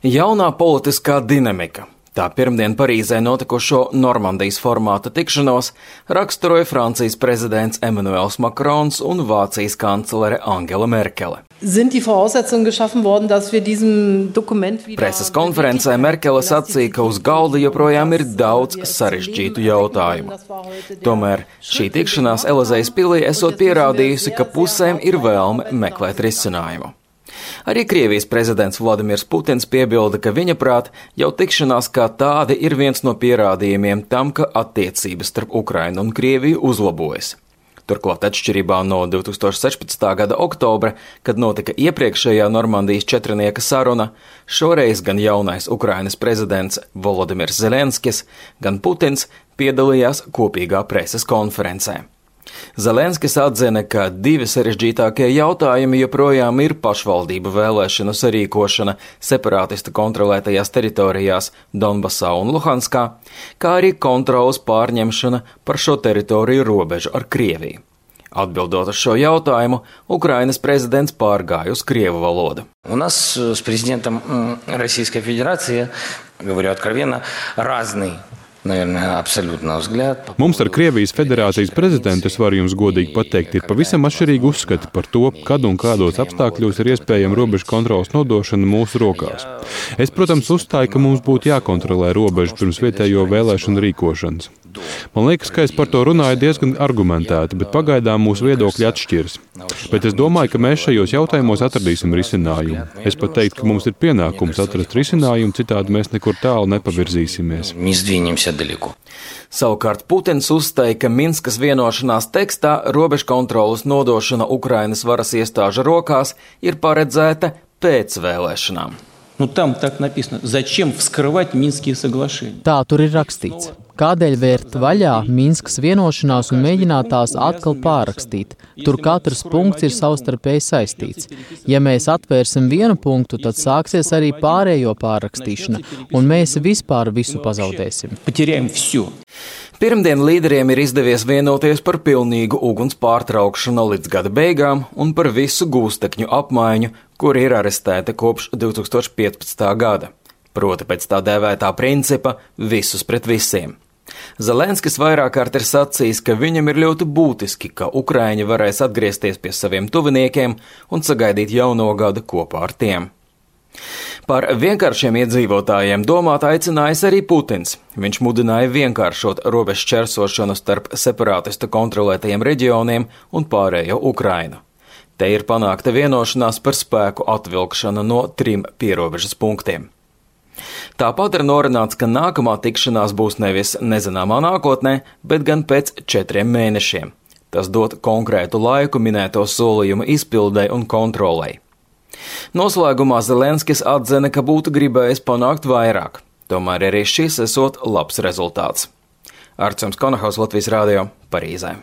Jaunā politiskā dinamika. Tā pirmdien Parīzē notikušo Normandijas formāta tikšanos raksturoja Francijas prezidents Emmanuels Macrons un Vācijas kanclere Angela Merkele. Preses konferencē Merkele sacīja, ka uz galda joprojām ir daudz sarežģītu jautājumu. Tomēr šī tikšanās Elizejas pilī esot pierādījusi, ka pusēm ir vēlme meklēt risinājumu. Arī Krievijas prezidents Vladimirs Putins piebilda, ka viņa prāt jau tikšanās kā tāda ir viens no pierādījumiem tam, ka attiecības starp Ukrainu un Krieviju uzlabojas. Turklāt atšķirībā no 2016. gada oktobra, kad notika iepriekšējā Normandijas četrnieka saruna, šoreiz gan jaunais Ukrainas prezidents Volodimirs Zelenskis, gan Putins piedalījās kopīgā preses konferencē. Zelenskis atzina, ka divi sarežģītākie jautājumi joprojām ir pašvaldību vēlēšanu sarīkošana separātistu kontrolētajās teritorijās Donbasā un Luhanskā, kā arī kontrolas pārņemšana par šo teritoriju robežu ar Krieviju. Atbildot uz šo jautājumu, Ukrainas prezidents pārgāja uz krievu valodu. У нас с президентом Российской Федерации, говорю откровенно, разный. Mums ar Krievijas federācijas prezidentu, es varu jums godīgi pateikt, ir pavisam atšķirīgi uzskati par to, kad un kādos apstākļos ir iespējama robežu kontrolas nodošana mūsu rokās. Es, protams, uzstāju, ka mums būtu jākontrolē robežu pirms vietējo vēlēšanu rīkošanas. Man liekas, ka es par to runāju diezgan argumentēti, bet pagaidām mūsu viedokļi atšķiras. Bet es domāju, ka mēs šajos jautājumos atradīsim risinājumu. Es pat teiktu, ka mums ir pienākums atrast risinājumu, citādi mēs nekur tālu nepavirzīsimies. Savukārt Putins uzstāja, ka Minskas vienošanās tekstā robežu kontrolas nodošana Ukrainas varas iestāžu rokās ir paredzēta pēc vēlēšanām. Tā tur ir rakstīts. Kādēļ vērt vaļā Minskas vienošanās un mēģināt tās atkal pārrakstīt? Tur katrs punkts ir savstarpēji saistīts. Ja mēs atvērsim vienu punktu, tad sāksies arī pārējo pārrakstīšana, un mēs vispār visu pazaudēsim. Pirmdien līderiem ir izdevies vienoties par pilnīgu uguns pārtraukšanu līdz gada beigām un par visu gūstekņu apmaiņu, kuri ir arestēti kopš 2015. gada. Proti pēc tā dēvētā principa visus pret visiem. Zelenskis vairāk kārt ir sacījis, ka viņam ir ļoti būtiski, ka Ukraiņi varēs atgriezties pie saviem tuviniekiem un sagaidīt jauno gadu kopā ar tiem. Par vienkāršiem iedzīvotājiem domāt aicinājis arī Putins. Viņš mudināja vienkāršot robežu šķērsošanu starp separātistu kontrolētajiem reģioniem un pārējo Ukrainu. Te ir panākta vienošanās par spēku atvilkšanu no 3 pierobežas punktiem. Tāpat ir norunāts, ka nākamā tikšanās būs nevis nezināmā nākotnē, bet gan pēc 4 mēnešiem. Tas dod konkrētu laiku minēto solījumu izpildei un kontrolei. Noslēgumā Zelenskis atzina, ka būtu gribējis panākt vairāk. Tomēr arī šis esot labs rezultāts. Artjums Konahaus, Latvijas radio, Parīzē.